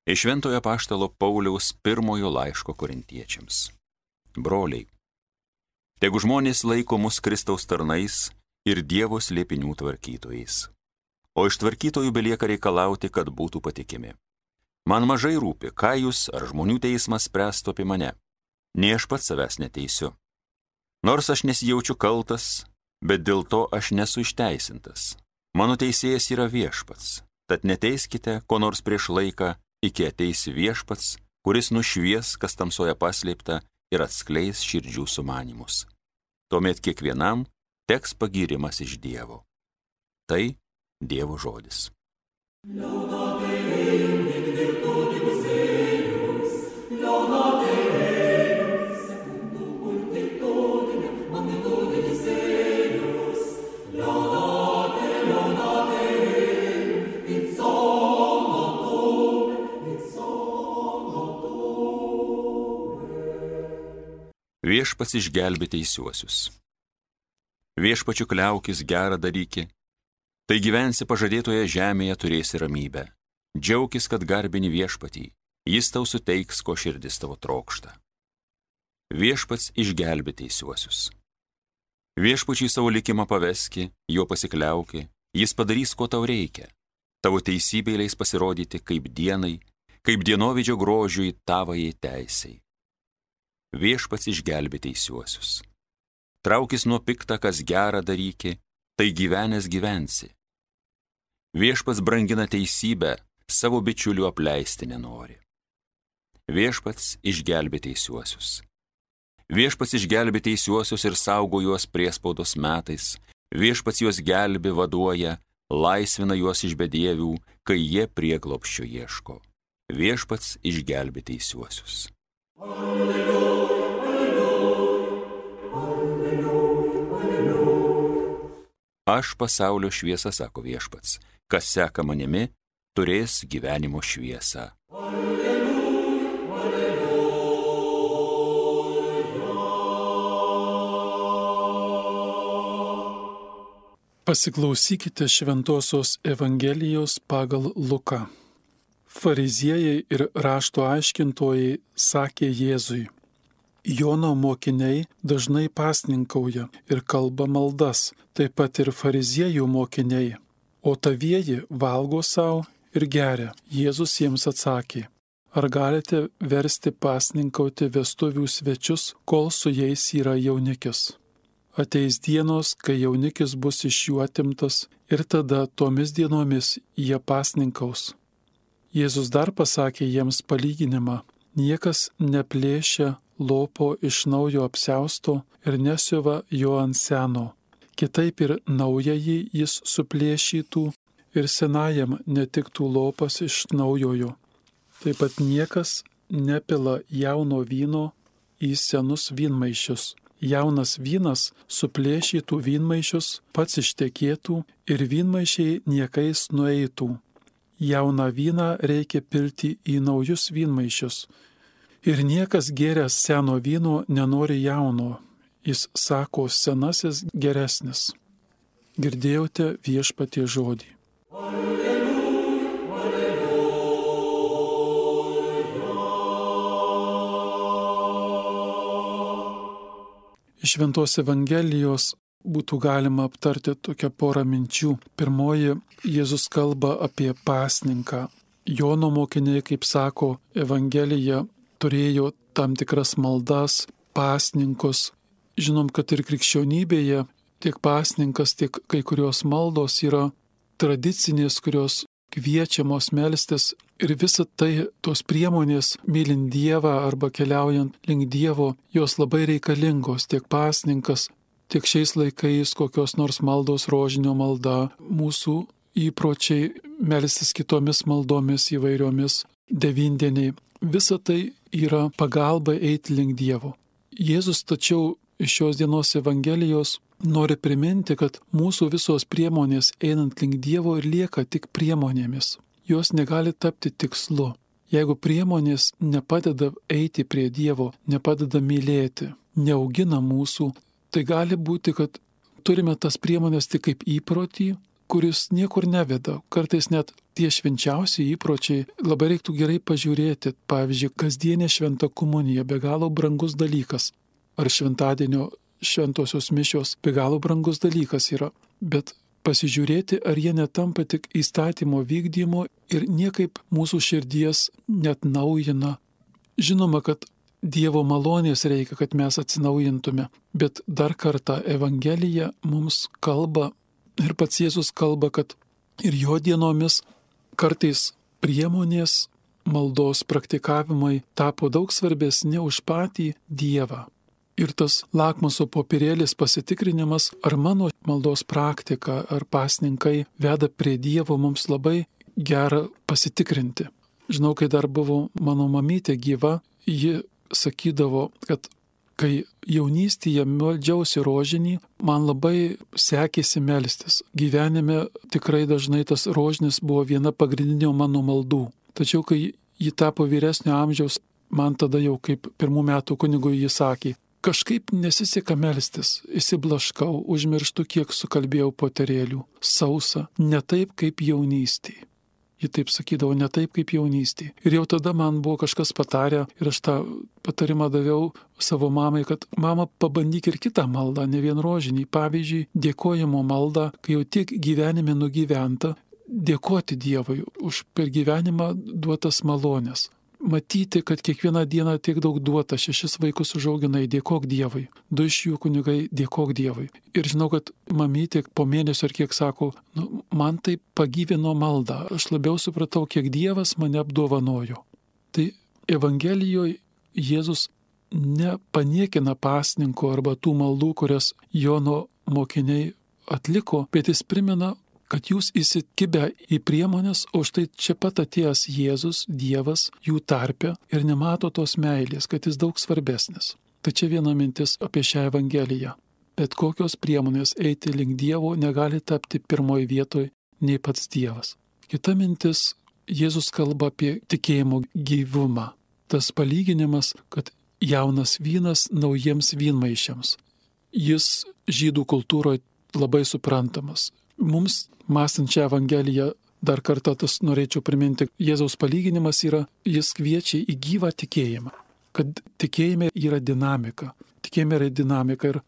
Iš Šventojo Apaštalo Pauliaus pirmojo laiško Korintiečiams. Broliai, tegu žmonės laiko mus Kristaus tarnais ir Dievo slėpinių tvarkytojais. O iš tvarkytojų belieka reikalauti, kad būtų patikimi. Man mažai rūpi, ką jūs ar žmonių teismas spręstų apie mane. Nei aš pats savęs neteisiu. Nors aš nesijaučiu kaltas, bet dėl to aš nesu išteisintas. Mano teisėjas yra Viešpats, tad neteiskite ko nors prieš laiką, iki ateis Viešpats, kuris nušvies, kas tamsoje paslėpta, ir atskleis širdžių sumanymus. Tuomet kiekvienam teks pagyrimas iš Dievo. Tai Dievo žodis. Viešpats išgelbė teisiuosius. Viešpačiu kliaukis, gerą daryki, tai gyvensi pažadėtoje žemėje, turėsi ramybę. Džiaukis, kad garbini Viešpatį, jis tau suteiks, ko širdis tavo trokšta. Viešpats išgelbė teisiuosius. Viešpačiui savo likimą paveski, jo pasikliauki, jis padarys, ko tau reikia. Tavo teisybė leis pasirodyti kaip dienai, kaip dienovidžio grožiui tavajai teisei. Viešpats išgelbė teisiuosius. Traukis nuo pikta, kas gerą daryki, tai gyvenęs gyvensi. Viešpats brangina teisybę, savo bičiulių apleisti nenori. Viešpats išgelbė teisiuosius. Viešpats išgelbė teisiuosius ir saugo juos priespaudos metais. Viešpats juos gelbė, vaduoja, laisvina juos iš bedievių, kai jie prieglobsčio ieško. Viešpats išgelbė teisiuosius. Aš pasaulio šviesa, sako Viešpats, kas seka manimi, turės gyvenimo šviesą. Pasiklausykite Šventosios Evangelijos pagal Luką. Fariziejai ir rašto aiškintojai sakė Jėzui: Jono mokiniai dažnai pasninkauja ir kalba maldas, taip pat ir fariziejų mokiniai, o tavieji valgo savo ir geria. Jėzus jiems atsakė: Ar galite versti pasninkauti vestuvių svečius, kol su jais yra jaunikis? Ateis dienos, kai jaunikis bus iš jų atimtas, ir tada tomis dienomis jie pasninkaus. Jėzus dar pasakė jiems palyginimą: Niekas neplėšia lopo iš naujo apsiausto ir nesiuva jo ant seno. Kitaip ir naująjį jis suplėšytų ir senajam netiktų lopas iš naujojo. Taip pat niekas nepila jauno vyno į senus vynmaišius. Jaunas vynas suplėšytų vynmaišius, pats ištekėtų ir vynmaišiai niekais nueitų. Jauną vyną reikia pilti į naujus vynmaišius. Ir niekas gėręs seno vyno nenori jauno. Jis sako, senasis geresnis. Girdėjote Viešpaties žodį. Alleluja, alleluja. Iš Šventos Evangelijos būtų galima aptarti tokią porą minčių. Pirmoji, Jėzus kalba apie pasninką. Jono mokiniai, kaip sako Evangelija, turėjo tam tikras maldas, pasninkus. Žinom, kad ir krikščionybėje tiek pasninkas, tiek kai kurios maldos yra tradicinės, kurios kviečiamos melstis. Ir visa tai, tos priemonės, mylint Dievą arba keliaujant link Dievo, jos labai reikalingos. Tiek pasninkas, tiek šiais laikais kokios nors maldos, rožinio malda, mūsų įpročiai melstis kitomis maldomis įvairiomis, devyndieniai. Visa tai yra pagalba eiti link Dievo. Jėzus tačiau iš šios dienos Evangelijos nori priminti, kad mūsų visos priemonės einant link Dievo ir lieka tik priemonėmis. Jos negali tapti tikslu. Jeigu priemonės nepadeda eiti prie Dievo, nepadeda mylėti, neaugina mūsų, tai gali būti, kad turime tas priemonės tik kaip įprotį, kuris niekur neveda. Kartais net tie švenčiausi įpročiai labai reiktų gerai pažiūrėti. Pavyzdžiui, kasdienė šventa komunija be galo brangus dalykas. Ar šventadienio šventosios mišios be galo brangus dalykas yra. Bet pasižiūrėti, ar jie netampa tik įstatymo vykdymo ir niekaip mūsų širdies net naujina. Žinoma, kad Dievo malonės reikia, kad mes atsinaujintume, bet dar kartą Evangelija mums kalba ir pats Jėzus kalba, kad ir jo dienomis kartais priemonės maldos praktikavimai tapo daug svarbesni už patį Dievą. Ir tas lakmuso popierėlis pasitikrinimas, ar mano maldos praktika, ar pasninkai veda prie Dievo, mums labai gera pasitikrinti. Žinau, kai dar buvo mano mamytė gyva, ji sakydavo, kad kai jaunystėje meldžiausi rožinį, man labai sekėsi melstis. Gyvenime tikrai dažnai tas rožinis buvo viena pagrindinių mano maldų. Tačiau, kai ji tapo vyresnio amžiaus, man tada jau kaip 1 metų kunigui ji sakė, kažkaip nesiseka melstis, įsiblaškau, užmirštu, kiek sukalbėjau poterėlių, sausa, ne taip kaip jaunystėje. Ji taip sakydavo, ne taip kaip jaunystėje. Ir jau tada man buvo kažkas patarę ir aš tą patarimą daviau savo mamai, kad mama, pabandyk ir kitą maldą, ne vien rožinį. Pavyzdžiui, dėkojimo maldą, kai jau tiek gyvenime nugyventa, dėkoti Dievui už per gyvenimą duotas malonės. Matyti, kad kiekvieną dieną tiek daug duota, 6 vaikus užauginai, dėkok Dievui. 2 iš jų kunigai, dėkok Dievui. Ir žinau, kad mamytė po mėnesio ar kiek sako, man tai pagyvino maldą, aš labiau supratau, kiek Dievas mane apdovanojo. Tai Evangelijoje Jėzus nepaniekina pasninko arba tų maldų, kurias Jono mokiniai atliko, bet jis primena, kad jūs įsikibę į priemonės, o štai čia pat atėjęs Jėzus, Dievas, jų tarpe ir nemato tos meilės, kad jis daug svarbesnis. Tai čia viena mintis apie šią Evangeliją. Bet kokios priemonės eiti link Dievo negali tapti pirmoji vietoje nei pats Dievas. Kita mintis, Jėzus kalba apie tikėjimo gyvumą. Tas palyginimas, kad jaunas vynas naujiems vynmaišiams. Jis žydų kultūroje labai suprantamas. Mums, mąstant šią Evangeliją, dar kartą tas norėčiau priminti, Jėzaus palyginimas yra, jis kviečia į gyvą tikėjimą, kad tikėjime yra dinamika. Tikėjime yra dinamika ir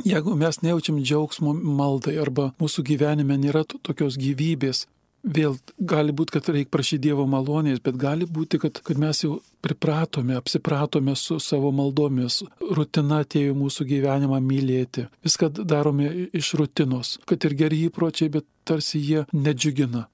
jeigu mes nejaučiam džiaugsmo maldai arba mūsų gyvenime nėra tokios gyvybės, vėl gali būti, kad reikia prašyti Dievo malonės, bet gali būti, kad mes jau pripratome, apsipratome su savo maldomis. Rutina atėjo mūsų gyvenimą mylėti. Viską darome iš rutinos, kad ir geri įpročiai, bet tarsi jie nedžiugina.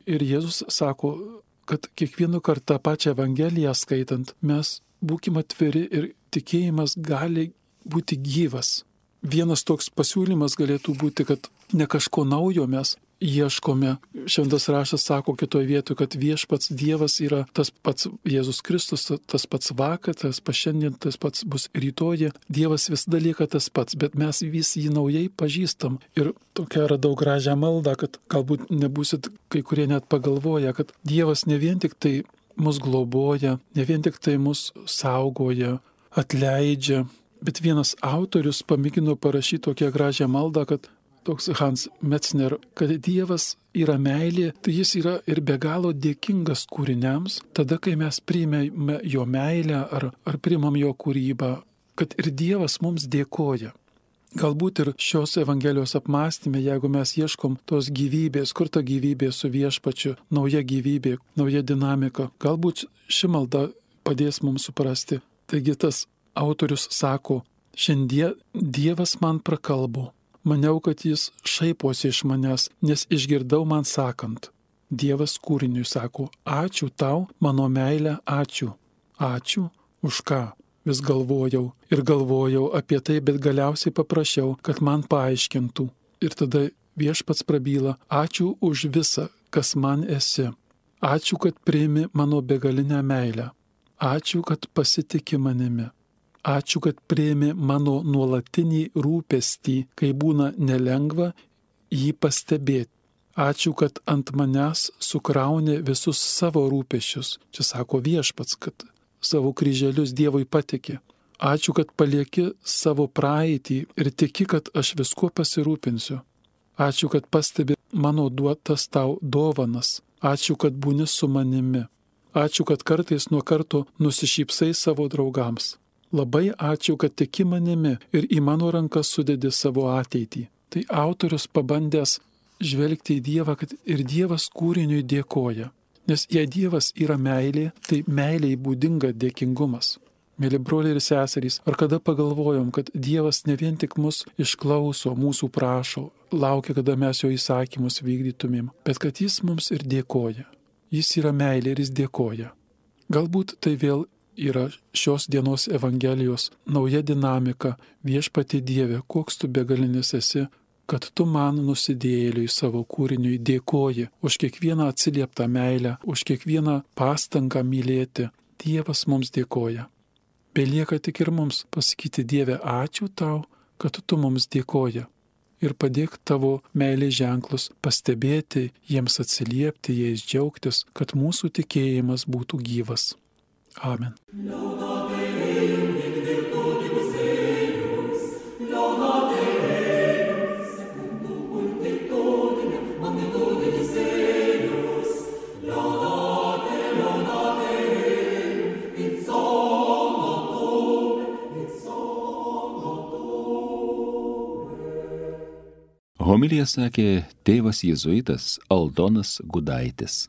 Ir Jėzus sako, kad kiekvieną kartą pačią Evangeliją skaitant, mes būkime atviri ir tikėjimas gali būti gyvas. Vienas toks pasiūlymas galėtų būti, kad ne kažko naujo mes ieškome. Šventas raštas sako kitoje vietoje, kad viešpats Dievas yra tas pats Jėzus Kristus, tas pats vakar, tas pats šiandien, tas pats bus rytoj. Dievas visada lieka tas pats, bet mes vis jį naujai pažįstam. Ir tokia radau gražią maldą, kad galbūt nebūsit kai kurie net pagalvoja, kad Dievas ne vien tik tai mus globoja, ne vien tik tai mus saugoja, atleidžia, bet vienas autorius pamėgino parašyti tokią gražią maldą, kad toks Hans Metzner, kad Dievas yra meilė, tai jis yra ir be galo dėkingas kūriniams, tada, kai mes priimame jo meilę ar priimam jo kūrybą, kad ir Dievas mums dėkoja. Galbūt ir šios Evangelijos apmąstymė, jeigu mes ieškom tos gyvybės, kur ta gyvybė su viešpačiu, nauja gyvybė, nauja dinamika, galbūt ši malda padės mums suprasti. Taigi tas autorius sako, šiandien Dievas man prakalbo. Maniau, kad jis šaiposi iš manęs, nes išgirdau man sakant. Dievas kūriniui sako, ačiū tau, mano meilė, ačiū. Ačiū už ką? Vis galvojau apie tai, bet galiausiai paprašiau, kad man paaiškintų. Ir tada viešpats prabyla, ačiū už visą, kas man esi. Ačiū, kad priimi mano begalinę meilę. Ačiū, kad pasitiki manimi. Ačiū, kad priimi mano nuolatinį rūpestį, kai būna nelengva jį pastebėti. Ačiū, kad ant manęs sukrauni visus savo rūpesčius. Čia sako viešpats, kad savo kryželius Dievui patiki. Ačiū, kad palieki savo praeitį ir tiki, kad aš viskuo pasirūpinsiu. Ačiū, kad pastebi mano duotas tau dovanas. Ačiū, kad būni su manimi. Ačiū, kad kartais nuo karto nusišypsai savo draugams. Labai ačiū, kad tiki manimi ir į mano rankas sudedi savo ateitį. Tai autorius pabandęs žvelgti į Dievą, kad ir Dievas kūriniui dėkoja. Nes jei Dievas yra meilė, tai meiliai būdinga dėkingumas. Mėly broliai ir seserys, ar kada pagalvojom, kad Dievas ne vien tik mus išklauso, mūsų prašo, laukia, kada mes jo įsakymus vykdytumėm, bet kad jis mums ir dėkoja. Jis yra meilė ir jis dėkoja. Galbūt tai vėl yra šios dienos Evangelijos nauja dinamika. Viešpatie Dieve, koks tu begalinis esi, kad tu man nusidėjėliui savo kūriniui dėkoji už kiekvieną atsilieptą meilę, už kiekvieną pastangą mylėti. Dievas mums dėkoja. Belieka tik ir mums pasakyti: Dieve, ačiū tau, kad tu mums dėkoja. Ir padėk tavo meilės ženklus pastebėti, jiems atsiliepti, jais džiaugtis, kad mūsų tikėjimas būtų gyvas. Amen. Homiliją sakė tėvas jėzuitas Aldonas Gudaitis.